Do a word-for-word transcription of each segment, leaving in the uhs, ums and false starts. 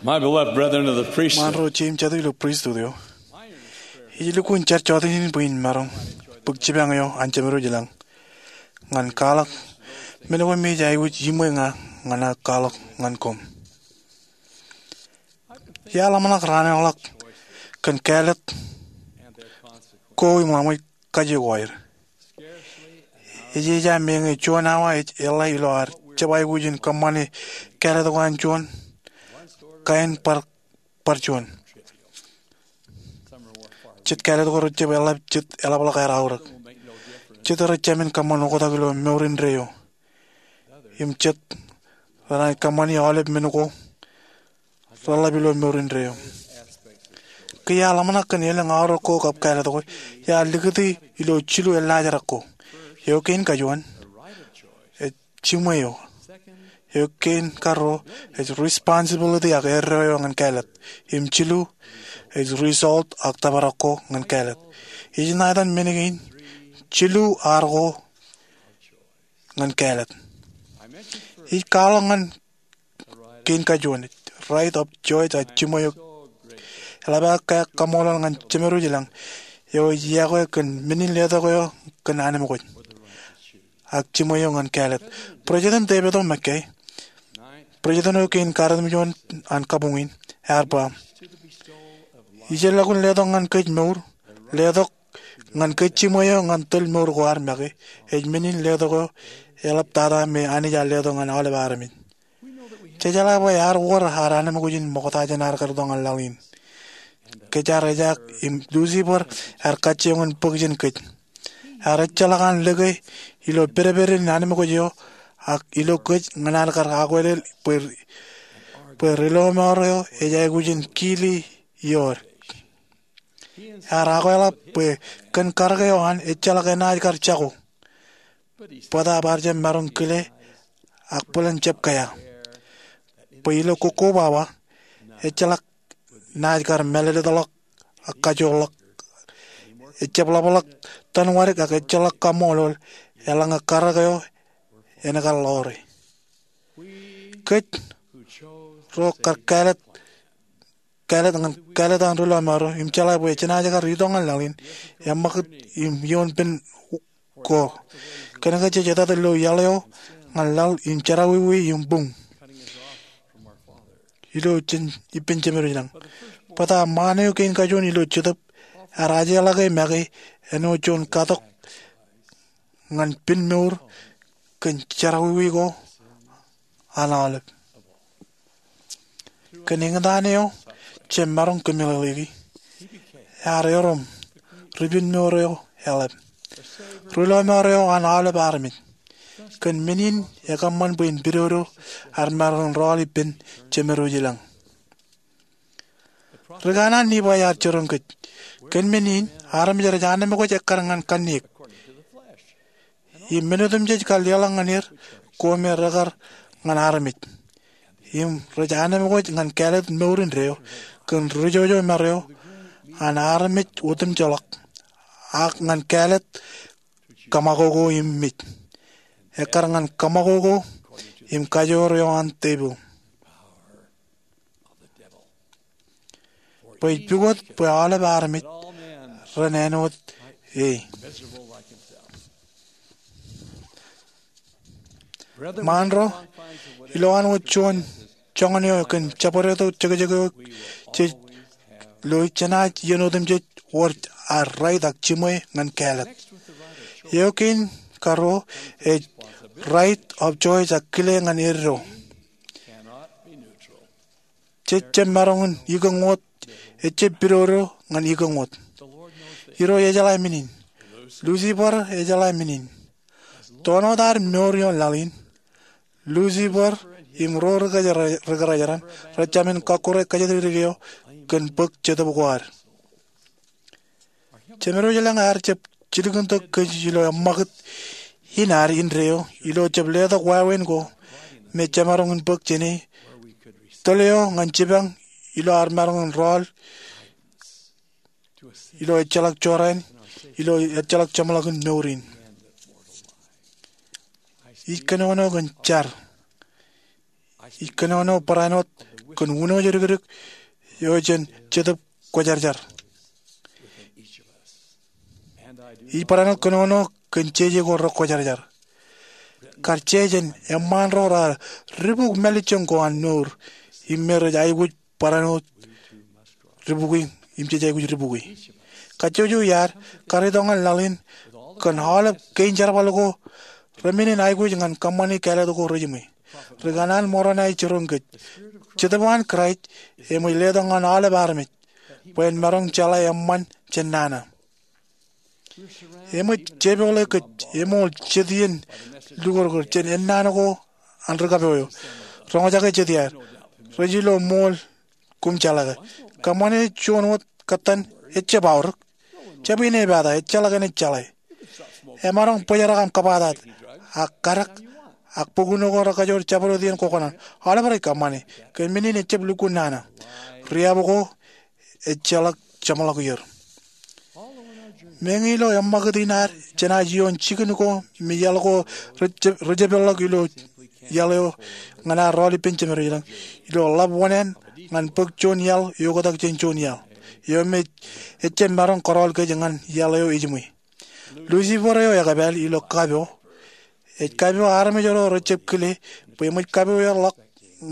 My beloved brethren of the priesthood. Ṃaan ro jeiū im jatū ilo pristut eo. Ij lukkuun jar jota in bwe in maroñ bōk jipañ eo an Jemedwōj ilañ ñan kwaḷọk men ko me ej aikuj iṃwe ña ñan aō kwaḷọk ñan koṃ. Iar ḷōmṇak raan eo ḷọk kōn kāālōt ko im ḷaṃōj kaje ko aer. Ej eja meñe juon awa ej eḷḷā ilo ad jab aikuj in kōṃṃane kāālōt ko an juon kain bar, bar juon. Jet kāālōt ko rejjab eḷap jet eḷapḷọk aer aorōk. Jet rejāmin kōṃṃan oktak ilo mour indeeo. Im jet renaaj kōṃṃani aolep men ko reḷap ilo mour indeeo. Ke iar ḷōmṇak kōn elōñ aorōk ko kab kāālōt ko, iar likūti ilo jilu eḷḷājerrak ko. Eo kein kajuon, ej jiṃwe eo. Eo kein karuo, ej responsibility ak erreo eo ñan kāālōt. Im jilu, ej result ak tōprak ko ñan kāālōt. Ij ṇa etan men kein jilu ar ko ñan kāālōt. Ij kwaḷọk ñan kein kajuon, right of choice ak jiṃwe eo. Eḷap aō kaṃṃoolol ñan Jemedwōj ilañ eo ej iọkwe kōn men in letok eo kōn anemkwōj ak jiṃwe eo ñan kāālōt. President David O. McKay, president eo kein karetemjuon an kabuñ in, ear ba, ijellọkun letok ñan kōj mour, letok ñan kōj jiṃwe eo ñan tōl mour ko ad make, ej men in letok eo eḷaptata me Anij ear letok ñan aolep armej. Jejeḷā bwe ear wōr ad anemkwōj in ṃokta jān ad kar itok ñan laḷ in. Kōj ar ejaak im Lucifer ear kajjioñ in bōk jān kōj. Ear ejjeḷọk an lōke ilo pedped in anemkwōj eo ak ilo kōj ñan ad kar akwālel bwe, bwe riloṃaer eo ej aikuj in kili ioer. Ear akwālōt bwe kōn karōk eo an ejjeḷọk enaaj kar jako. Bōtaab ear jab maroñ kile ak bōlen jab kea. Bwe ilo kokkobaba, ejjeḷọk naaj kar mālōtlōtḷọk ak kajoorḷọk. Ejjab ḷapḷọk tōnwadik ak ejjeḷọk kaṃṃoolol eḷaññe karōk eo en kar ḷoore. Kōj ro kar kāālōt, kāālōt ñan, kāālōt an ri lọmọọr eo, im jeḷā bwe jenaaj kar itok ñan laḷ in, eṃṃakūt im ioon pen ko. Kōnke jej etat ilo iaḷ eo ñan laḷ im jerọwiwi im buñ ilo jān ippān Jemedwōj ilañ. Bōtaab ṃaan eo kein kajuon ilo Jetōb ear ajeḷọke make āinwōt juon katok ñan pen mour kōn jerọwiwi ko an aolep. Kōn eñtaan eo jemaroñ kōmeḷeḷeiki, ear erom ri pen mour eo eḷap, ri lọmọọr eo an aolep armej. Kōn men in ekōṃṃan bwe en pidodo ad maroñ in rọọl ippān Jemedwōj ilañ. Ri kanaan Nifai ear jiroñ kōj. Kōn men in, armej rej anemkwōj ekkar ñan kanniōk. Im men otemjej kar leḷọk ñan er ko me rekar ñan armej. Im rej anemkwōj ñan kāālōt mour indeeo kōn rijojomar eo an armej otemjeḷọk, ak ñan kāālōt kōṃakoko im mej. Ekkar ñan kōṃakoko im kajoor eo an tepil. Bwe ej pukot bwe aolep armej ren āinwōt e. Ṃaan ro, ilowaan wōt juon joñan eo kōn jabdewōt jekjek eo jej lo, jenaaj iien otemjej wōr ad right ak jiṃwe ñan kāālōt. Eo kein karuo ej right of choice ak kile ñan eddo. Jej jab maroñ in ikōñ wōt, ejjab pidodo ñan ikōñ wōt. Irooj ejeḷā men in. Lucifer ejeḷā men in. Toon wōt ad mour ioon laḷ in, Lucifer im ro ri kōjeraajeran rej jāmin kọkkure kōjatdikdik eo kōn bōk Jetōb ko ad. Jemedwōj ilañ ear jab jilkintok kōj ilo eṃṃakūt in ad indeeo ilo jab letok wāween ko me jemaroñ in bōk jāne, tōl eo ñan jipañ ilo ad maroñ in rọọl ilo ejjeḷọk jorrāān, ilo ejjeḷọk jeṃḷọkin mour in. Ij kōnono kōn jar. Ij kōnono barāinwōt kōn unooj dikdik eo jān Jetōb Kwōjarjar. Ij barāinwōt kōnono kōn jeje ko rekwōjarjar. Kar jeje eṃṃaan ro raar dibuk mālejjoñ ko an mour im me rej aikuj barāinwōt dibukwi im jej aikuj dibukwi. Kajjojo iaad, kar itok ñan laḷ in kōn aolep kein jerbal ko remennin aikuj ñan kōṃṃani kāālōt ko rejiṃwe. Ri kanaan Moronai jiroñ kōj, Jetōb an Kraist eṃōj letok ñan aolep armej bwe en maroñ jeḷā eṃṃan jān nana. Eṃōj jepoḷe kōj eṃool jet iien lukōrkōr jān ennaan ko an ri kapo eo. Roñjake jet iaad, rej ilo ṃool koṃ jeḷā ke kōṃṃane juon wōt kōttan ejjab aorōk. Jab inepata, ejjeḷọk enaaj jeḷā. Emaroñ bōjrak aṃ kabatak ak kadak, ak bukun ko rekajoor jabdewōt iien kwōkōṇaan. Aolep rej kōṃṃane kōn men in ejjab lukkuun nana. Riab ko ejjeḷọk jeṃḷọk er. Meñe ilo eṃṃakūt in ad jān aō ioon jikin ko me iaḷ ko rej jab-, rej jab peḷḷọk ilo iaḷ eo ñan ad rọọl ippān jemed ilañ, ilo ḷap wōṇāān ñan bōk juon iaḷ eoktak jān juon iaḷ eo me ejjab maroñ kōrọọl kōj ñan iaḷ eo ejiṃwe. Lucifer eo ekpāāl ilo kapo ej kapo armej ro rej jab kile bwe eṃōj kapo er ḷọk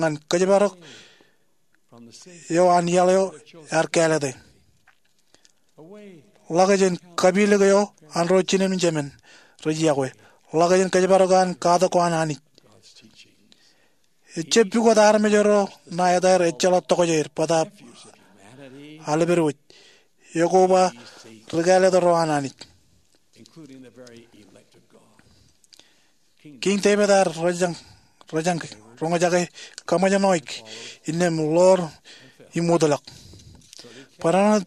ñan kōjparok eo an iaḷ eo ear kāālōte. Ḷak jān kapilōk eo an ro jinen im jemān rej yokwe. Ḷak jān kōjparok an katak ko an Anij. Ejjab pukot armej ro ṇa etaer ejjeḷọk tokjāer bōtaab aḷap eo ej. Ekwe ba ri kāālōt ro an Anij. Kiiñ Devid ear rōjañ, rōjañ roñjake kaṃōjṇọ eo innām ḷoor im wōtlọk. Barāinwōt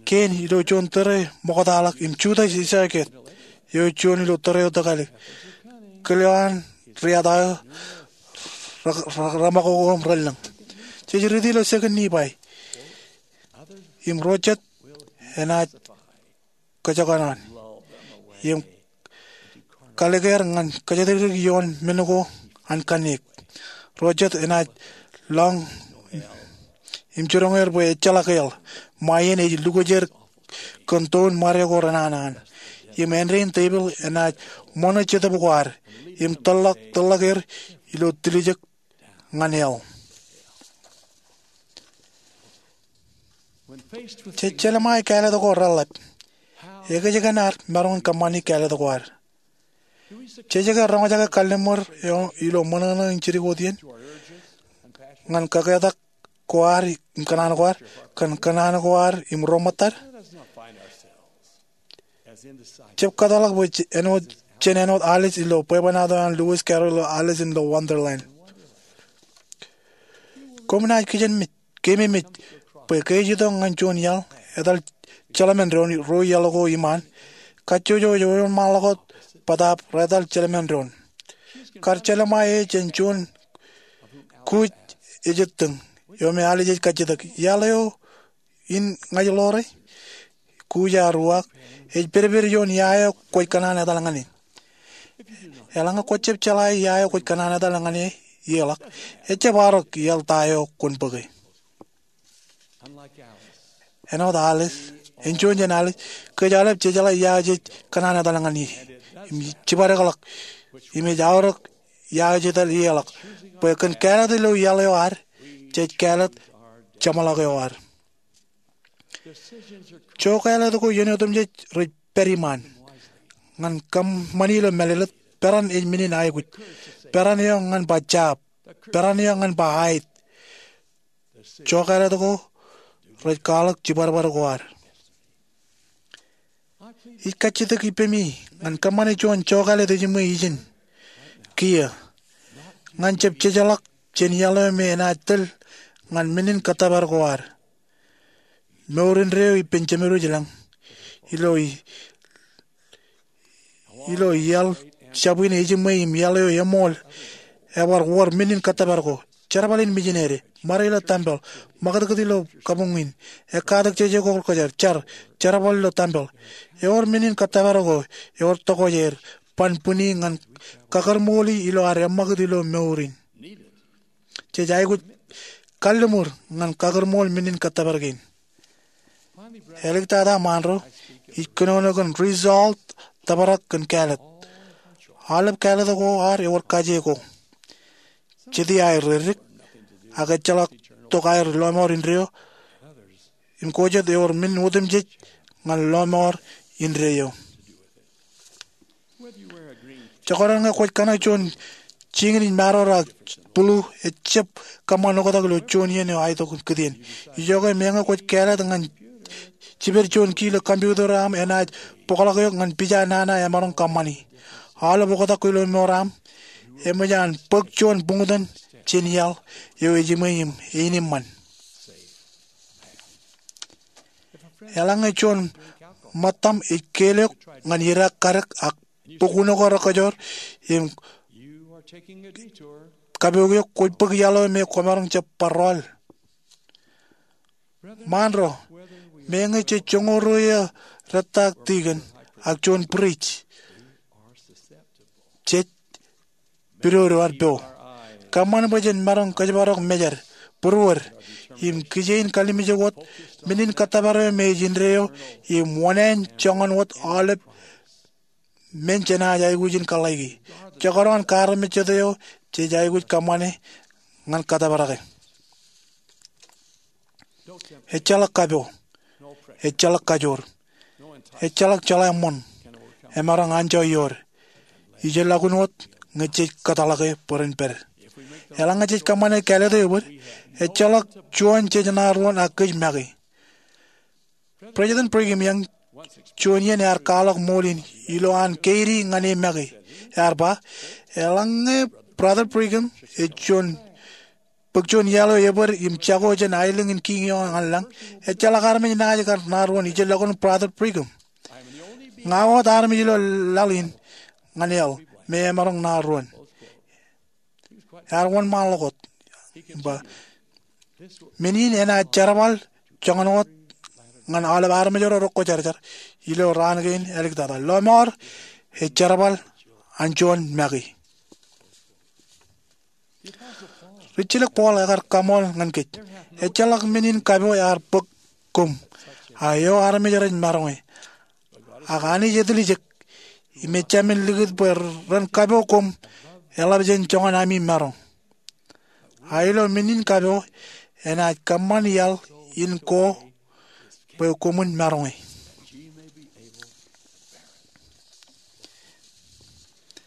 kein ilo juon tōre ṃoktaḷọk im Judas Iskariot eo juon ilo tōre eo tōkālik, kile eo an riata eo re-, re-, reṃakoko im relōñ. Jej riiti ilo Second Nephi, im ro jet enaaj kōjkan an im kalikker ñan kōjatdikdik ioon men ko an kanniōk. Ro jet enaaj lọñọñ im jiroñ er bwe ejjeḷọk hell, ṃae in ej lukwōj er kōn toon ṃade ko renana an. Im āindein tepil enaaj ṃōṇō jetōb ko ad im tōlḷọk, tōlḷọk er ilo tiljek ñan hell. Jej jelṃae kāālōt ko reḷḷap, ekōjkan ad maroñ in kōṃṃani kāālōt ko ad? Jej ke roñjake kalliṃur eo ilo ṃōṇōṇō in jidik wōt iien ñan kōketak ko ad im kōṇaan ko ad, kōn kōṇaan ko ad im ro ṃōttad? Jab kōtḷọk bwe j-, āinwōt, jen āinwōt Alice ilo bwebwenato an Lewis Carroll ilo Alice in Wonderland. Koṃ naaj kijenmej, keememej, bwe ke ej itok ñan juon iaḷ etal jeḷāmen doon ro iaḷ ko iṃaan, kajjojo ej wōnṃaanḷọk wōt bōtaab retal jeḷāmen doon. Kar jelṃae e jān juon kuuj ejitōñ eo me Alice ej kajjitōk, iaḷ eo in ña ij ḷoore? Kuuj ear uwaak, ej pedped ioon ia eo kwōj kōṇaan etal ñan e. Eḷaññe kwōjab jeḷā ia eo kwōj kōṇaan etal ñan e, ie ḷọk, ejjab arok iaḷ ta eo kwōn bōke. Āinwōt Alice, enjuon jān Alice, kōj aolep jejeḷā ia eo jej kōṇaan etal ñan e im jibadekḷọk, im ej arok ia eo jej etal ie ḷọk. Bwe kōn kāālōt ilo iaḷ eo ad, jej kāālōt jeṃḷọk eo ad. Jokāālōt ko iien otemjej rej pād iṃaan. Ñan kōṃṃani ilo mālōtlōt, peran ej men in aikuj. Peran eo ñan ba jab. Peran eo ñan ba aet. Jokāālōt ko rej kwaḷọk jibadbad ko ad. Ij kajjitōk ippemi ñan kōṃṃane juon jokāālōt ejiṃwe ijin kiiō, ñan jab jejeḷọk jān iaḷ eo me enaaj tōl ñan men in kōttōpar ko ad. Mour indeeo ippān jemed wōj ilañ, ilo i-, ilo iaḷ jabwin ejiṃwe im iaḷ eo eṃool, ebar wōr men in kōttōpar ko. Jerbal in mijinede, ṃade ilo tempel, ṃakūtkūt ilo kabuñ in, ekkatak jeje ko kwōjarjar, jar, jerbal ilo tempel. Ewōr men in kōttōpar ko, ewōr tokjāer, ban bwini ñan kakōrṃooli ilo ad eṃṃakūt ilo mour in. Jej aikuj kalliṃur ñan kakūrmool men in kōttōpar kein. Āliktata ṃaanro, ij kōnono kōn result tōprak kōn kāālōt. Aolep kāālōt ko ad ewōr kaje ko. Jete aer reddik, ak ejjeḷọk tok aer lọmọọr indeeo im ko jet ewōr men otemjej ñan lọmọọr indeeo. Jekdọọn ñe kwōj kōṇak juon jikin ej maroor ak bulu, ejjab kōṃṃan oktak ilo juon iien eo aetok kūtien. Ijoke meñe kwōj kāālōt ñan jiped juon ki ilo computer eo aṃ, enaaj bōkḷọk eok ñan pija nana emaroñ kōṃṃani. Aolep oktak ko ilo mour aṃ eṃōj an bōk juon buñtōn jān iaḷ eo ejiṃwe im einiṃṃan. Eḷaññe juon ṃōttaṃ ej keel eok ñan idaak kadek ak bōk uno ko rekōjoor im kapook eok, kwōj bōk iaḷ eo me kwōmaroñ jab bar rọọl. Ṃaanro, meñe jej joñoul ruo iiō rettaak tikōn ak juon bwidej, jej pidodo ad po. Kōṃṃan bwe jen maroñ kōjparok mejād, būruod, im kijein kallimjek wōt men in kōttōpar eo me ej indeeo im wōṇāān joñan wōt aolep men jenaaj aikuj in kōḷḷāiki. Jekdọọn kaarmejjet eo jej aikuj kōṃṃane ñan kōttōparake. Ejjeḷọk kapo, ejjeḷọk kajoor, ejjeḷọk jeḷā ṃoṇ emaroñ anjọ iood. Ij ilọk wōt ñe jej kōtḷọke bwe ren pād. Eḷaññe jej kōṃṃane kāālōt eo ebōd, ejjeḷọk juon jej ṇa ruon ak kōj make. President Brigham Young juon iien ear kwaḷọk ṃool in ilo an keidi ñan e make. Ear ba, eḷaññe Brother Brigham ej juon bōk juon iaḷ eo ebōd im jako jān aelōñ in kiiñ eo ñan lañ, ejjeḷọk armej naaj kar ṇa ruon ijellọkun Brother Brigham. Ña wōt armej ilo laḷ in ñan iaḷ me emaroñ ṇa ruon. Ear wōnṃaanḷọk wōt im ba, men in enaaj jerbal joñan wōt ñan aolep armej ro rekwōjarjar ilo raan kein āliktata. Lọmọọr ej jerbal an juon make. Rijjilōk Paul ekar kaṃool ñan kōj, ejjeḷọk men in kapo ear bōk koṃ, a eo armej rej maroñe. Ak Anij etiljek im ejāmin likūt bwe ren kapo koṃ eḷap jān joñan ami maroñ. A ilo men in kapo enaaj kōṃṃan iaḷ in ko bwe koṃwin maroñe.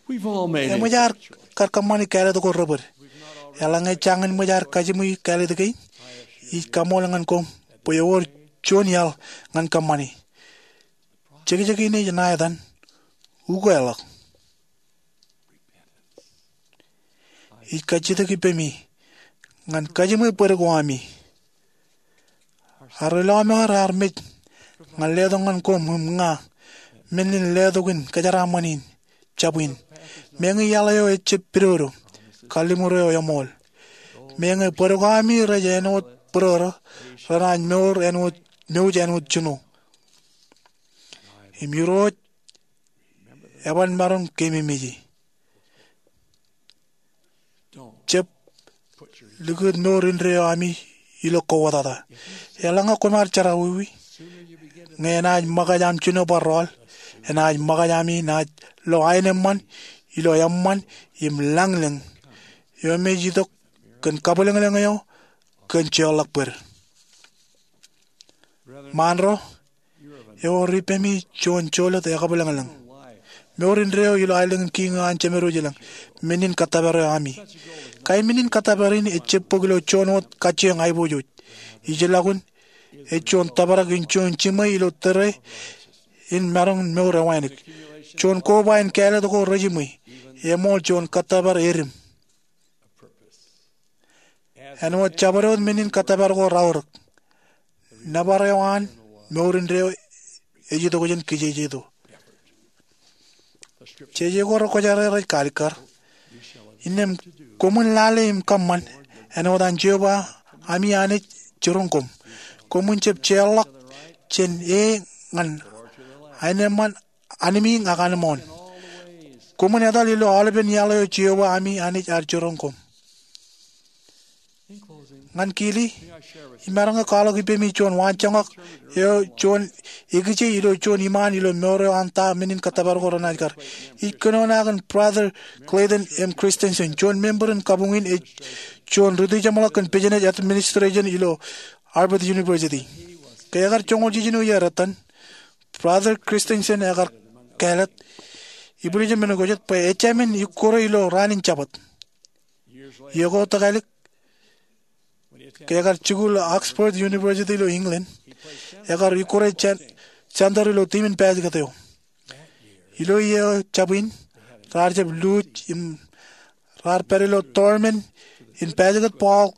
Eṃōj ad kar kōṃṃani kāālōt ko rebōd. Eḷaññe jañin ṃōj ad kajiṃwe kāālōt kein, ij kaṃool ñan koṃ bwe ewōr juon iaḷ ñan kōṃṃani. Jekjek in ej ṇa etan, ukeḷọk. Ij kajjitōk ippemi ñan kajiṃwe bōd ko ami. Ad ilọmọọr armej ñan letok ñan koṃ im ña men in letok in kōjeraaṃṃan in jab in. Meñe iaḷ eo ejjab pidodo, kalliṃur eo eṃool. Meñe bōd ko ami rej āinwōt bōrōrō, renaaj mour āinwōt, mouj āinwōt jino. Im Irooj eban maroñ keememej e. Jab likūt mour indeeo ami ilo kowōtata. Eḷaññe koṃ ar jerọwiwi, ñe enaaj ṃōkaj aṃ jino bar rọọl, enaaj ṃōkaj ami naaj lo aenōṃṃan ilo eṃṃan im lañlōñ eo me ej itok kōn kabwilōñlōñ eo kōn jeorḷọk bōd. Ṃaanro, ewōr ippemi juon jolōt ekabwilōñlōñ. Mour indeeo ilo aelōñ in kiiñ eo an Jemedwōj ilañ, men in kōttōpar eo ami. Kain men in kōttōpar in ejjab bōk ilo juon wōt kajjioñ aiboojoj. Ij ilọkun ej juon tōprak in juon jiṃwe ilo tōre in maroñ in mour ewānōk. Juon koba in kāālōt ko rejiṃwe, eṃool juon kōttōpar edim. Āinwōt jabdewōt men in kōttōpar ko raorōk, nōbar eo an mour indeeo ej itok jān kijejeto. Jeje ko rekwōjarjar ej kaalikkar, innām koṃwin lale im kōṃṃan āinwōt an Jeova ami Anij jiroñ koṃ. Koṃwin jab jeorḷọk jān e ñan aenōṃṃan anmiiñ ak anmooṇ. Koṃwin etal ilo aolepen iaḷ eo Jeova ami Anij ear jiroñ koṃ. Ñan kili, imaroñ ke kwaḷọk ippemi juon waanjoñak eo, juon ekije ilo juon iṃaan ilo mour eo an ta men in kōttōpar ko renaaj kar. Ij kōnono aō kōn Brother Clayton M. Christensen, juon member in kabuñ in ej juon rūtijeṃḷọk kōn business administration ilo Harvard University. Ke ekar joñoul jiljino iiō ettan, Brother Christensen ekar kāālōt, ibwiljin men ko jet, bwe ejāmin ikkure ilo raan in Jabōt. Iiō ko tōkālik, ke ekar jikuuḷ Oxford University ilo England, ekar ikkure jān-, jānter ilo tiim in basketball eo. Ilo iiō jab in, raar jab luuj im raar pād ilo tournament in basketball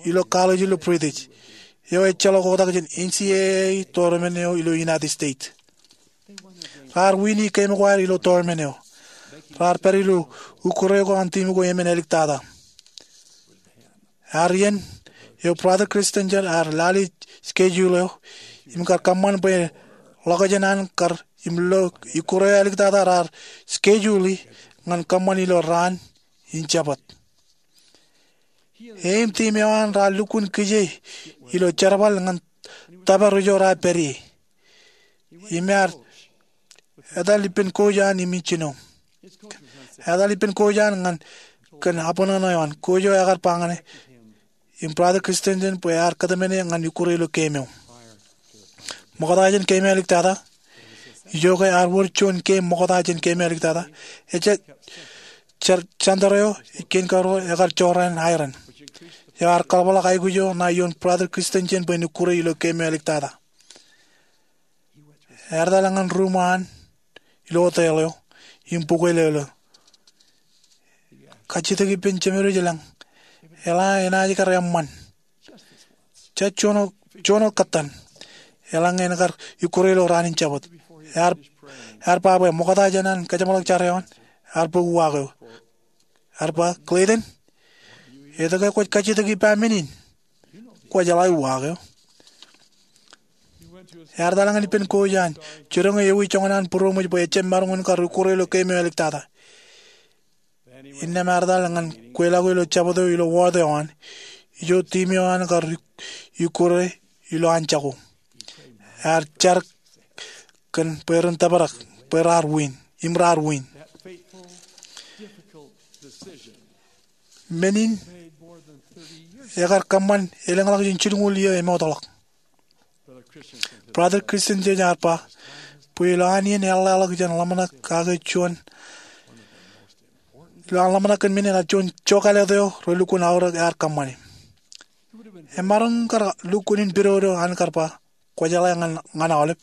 ilo college ilo British, eo ejjeḷọk oktak jān N C A A tournament eo ilo United States. Raar win game ko ad ilo tournament eo. Raar pād ilo ikkure ko an tiim ko emān āliktata. Ear iien eo Brother Christensen ear lale schedule eo im kar kōṃṃan bwe ḷọkjeṇ an kar im lo ikkure eo āliktata raar schedule ñan kōṃṃan ilo raan in Jabōt. E im tiim eo an raar lukkuun kije ilo jerbal ñan tōpar ijo raar pād ie. Im ear etal ippān coach an im ej jino. Etal ippān coach an ñan kōn abṇōṇō eo an. Coach eo ekar ba ñane im Brother Christensen bwe ear kōtmāne ñan ikkure ilo game eo. Ṃokta jān game eo āliktata, ijoke ear wōr juon game ṃokta jān game eo āliktata, ejja jar-, jānter eo ej kein karuo ekar jorrāān iron, eo ear kaḷapḷọk aikuj eo ṇae ioon Brother Christensen bwe en ikkure ilo game eo āliktata. Ear etal ñan room eo an ilo hotel eo im bukwelōlō. Kajjitōk ippān Jemedwōj ilañ, eḷaññe enaaj kar eṃṃan, ja juon wōt, juon wōt kōttan, eḷaññe en kar ikkure ilo raan in Jabōt. Ear, ear ba bwe ṃokta jān an kajeṃḷọk jar eo an, ear bōk uwaak eo. Ear ba, Clayton, etke kwōj kajjitōk ippa men in? Kwō jeḷā uwaak eo. Ear etal ñan ippān coach an, jiroñ e ewi joñan an būroṃōj bwe ejjab maroñ in kar ikkure ilo game eo āliktata. Innām ear etal ñan kweilọk ilo Jabōt eo ilo ward eo an, ijo tiim eo an kar ikkure ilo anjako. Ear jar kōn bwe ren tōprak, bwe raar win, im raar win. Men in ekar kōṃṃan elōñḷọk jān jilñuul iiō emootḷọk. Brother Christensen ear ba bwe ilo an iien eḷḷāḷọk jān ḷōmṇak kake juon, ilo an ḷōmṇak kōn men in ear juon jokālet eo relukkuun aorōk ear kōṃṃane. Emaroñ kar lukkuun in pidodo an kar ba, kwō jeḷā ñan, ñan aolep.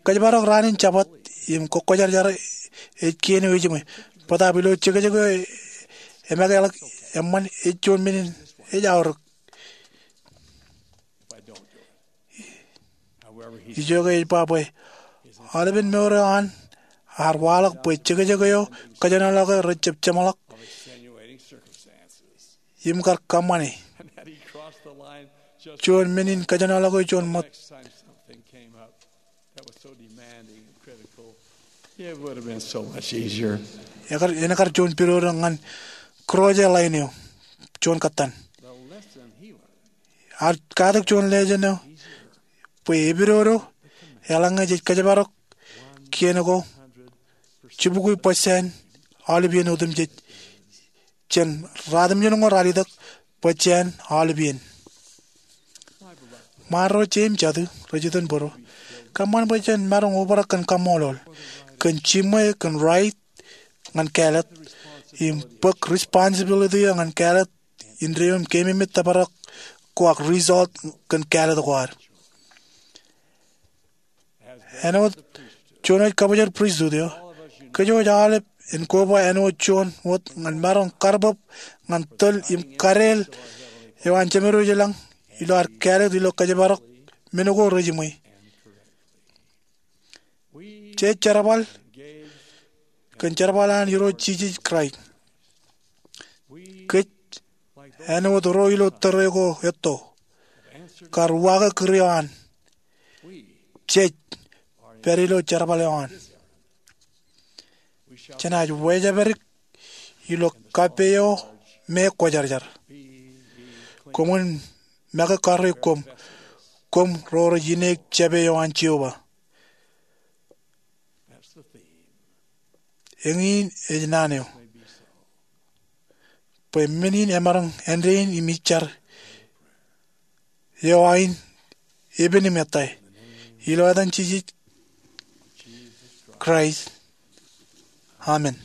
Kōjparok raan in Jabōt im kōkkwōjarjar ej kien eo ejiṃwe. Bōtaab ilo jekjek eo emākeḷọk eṃṃan ej juon men in ej aorōk. Ijoke ej ba bwe aolepen mour eo an ear waḷọk bwe jekjek eo kōjenolọke rejjab jeṃḷọk im kar kōṃṃane. Juon men in kōjenolọke juon ṃōt. It would have been so much easier. Ekar, en kar juon pidodo ñan cross e line eo, juon kōttan. Ear katak juon lesen eo bwe epidodo eḷaññe jej kōjparok kien ko jibukwi percent aolepien otemjej jān ratimjuonñoul ralitōk bwe jān aolepien. Ṃaanro, jeiū im jatū rej iten bōro, kōṃṃan bwe jen maroñ obrak kōn kaṃṃoolol, kōn jiṃwe, kōn right ñan kāālōt, im bōk responsibility eo ñan kāālōt indeeo im keememej tōprak ko ak result kōn kāālōt ko ad. Āinwōt juon wōj kabōjrak pristut eo, kōj wōj aolep en koba āinwōt juon wōt ñan maroñ karbōb ñan tōl im kadeel eo an Jemedwōj ilañ ilo ad kāālōt ilo kōjparok men ko rejiṃwe. Jej jerbal kōn jerbal an Irooj Jisōs Kraist. Kōj, āinwōt ro ilo tōre ko etto, kar uwaake kūr eo an. Jej pād ilo jerbal eo an. Jenaaj wāwōj ilo kappei eo me kwōjarjar. Koṃwin make karreoik koṃ, koṃ ro rej ineek jabdewōt eo an Jeova. Eñin ej naan eo bwe men in emaroñ āindein im jar eo ain epen im ettā. Ilo etan Jisōs Kraist, amen.